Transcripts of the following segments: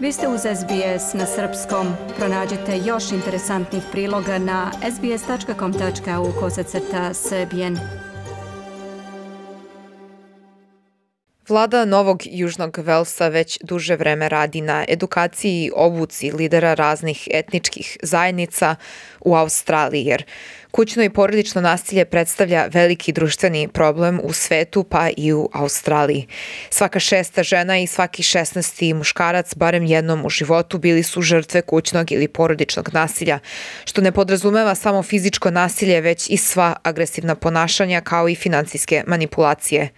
Vi ste uz SBS na srpskom. Pronađite još interesantnih priloga na sbs.com.au/srbijen. Vlada Novog Južnog Velsa već duže vreme radi na edukaciji i obuci lidera raznih etničkih zajednica u Australiji, jer kućno i porodično nasilje predstavlja veliki društveni problem u svetu pa i u Australiji. Svaka 6. žena i svaki 16. muškarac barem jednom u životu bili su žrtve kućnog ili porodičnog nasilja, što ne podrazumeva samo fizičko nasilje, već i sva agresivna ponašanja kao i finansijske manipulacije.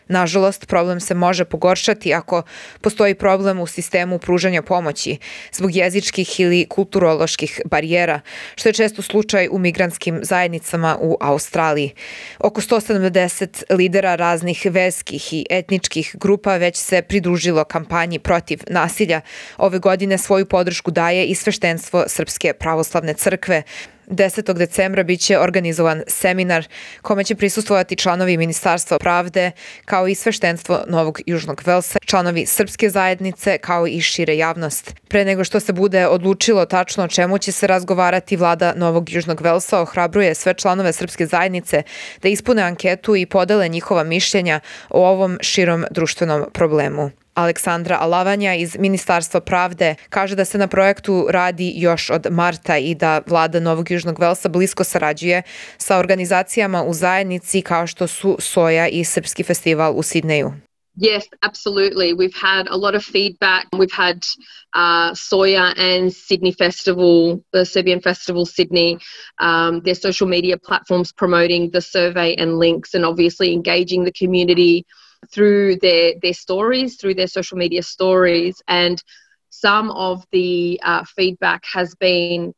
Nažalost, problem se može pogoršati ako postoji problem u sistemu pružanja pomoći zbog jezičkih ili kulturoloških barijera, što je često slučaj u migrantskim zajednicama u Australiji. Oko 170 lidera raznih verskih i etničkih grupa već se pridružilo kampanji protiv nasilja. Ove godine svoju podršku daje i sveštenstvo Srpske pravoslavne crkve. 10. decembra biće organizovan seminar kome će prisustvovati članovi Ministarstva pravde, kao i sveštenstvo Novog Južnog Velsa, članovi srpske zajednice, kao i šire javnost. Pre nego što se bude odlučilo tačno o čemu će se razgovarati, vlada Novog Južnog Velsa ohrabruje sve članove srpske zajednice da ispune anketu i podele njihova mišljenja o ovom širom društvenom problemu. Aleksandra Alavanja iz Ministarstva pravde kaže da se na projektu radi još od marta i da vlada Novog Južnog Velsa blisko sarađuje sa organizacijama u zajednici kao što su Soja i Srpski festival u Sidneju. Yes, absolutely. We've had a lot of feedback. We've had Soya and Sydney Festival, the Serbian Festival Sydney, their social media platforms promoting the survey and links and obviously engaging the community through their stories, through their social media stories. And some of the feedback has been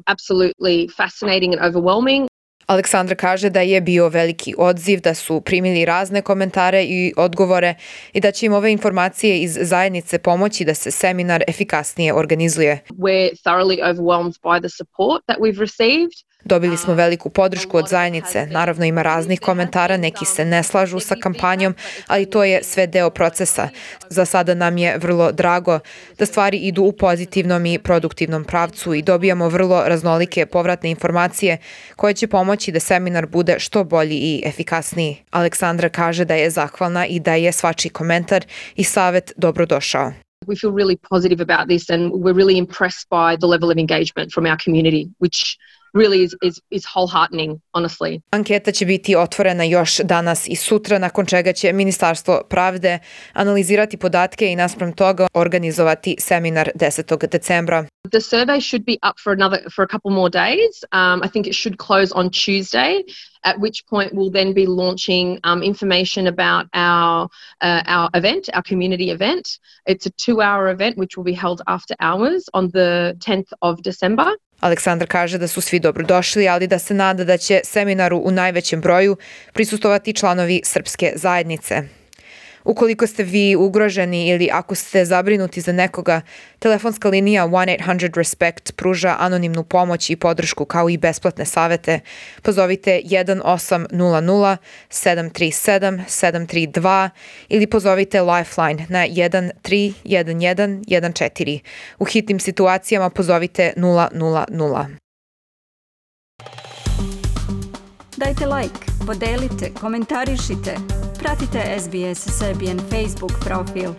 absolutely fascinating and overwhelming. Aleksandra kaže da je bio veliki odziv, da su primili razne komentare i odgovore i da će im ove informacije iz zajednice pomoći da se seminar efikasnije organizuje. We're thoroughly overwhelmed by the support that we've received. Dobili smo veliku podršku od zajednice. Naravno ima raznih komentara, neki se ne slažu sa kampanjom, ali to je sve deo procesa. Za sada nam je vrlo drago da stvari idu u pozitivnom i produktivnom pravcu i dobijamo vrlo raznolike povratne informacije koje će pomoći da seminar bude što bolji i efikasniji. Aleksandra kaže da je zahvalna i da je svačiji komentar i savet dobrodošao. We feel really positive about this and we're really impressed by the level of engagement from our community, which really is wholeheartening, honestly. Anketa će biti otvorena još danas i sutra, nakon čega će Ministarstvo pravde analizirati podatke i naspram toga organizovati seminar 10. decembra. The survey should be up for a couple more days. I think it should close on Tuesday, at which point we'll then be launching information about our event, our community event. It's a 2-hour event which will be held after hours on the 10th of December. Aleksandar kaže da su svi dobrodošli, ali da se nada da će seminaru u najvećem broju prisustvovati članovi srpske zajednice. Ukoliko ste vi ugroženi ili ako ste zabrinuti za nekoga, telefonska linija 1-800-RESPECT pruža anonimnu pomoć i podršku kao i besplatne savete. Pozovite 1-800-737-732 ili pozovite Lifeline na 131114. U hitnim situacijama pozovite 000. Dajte like, podelite, komentarišite. Pratite SBS Serbian Facebook profil.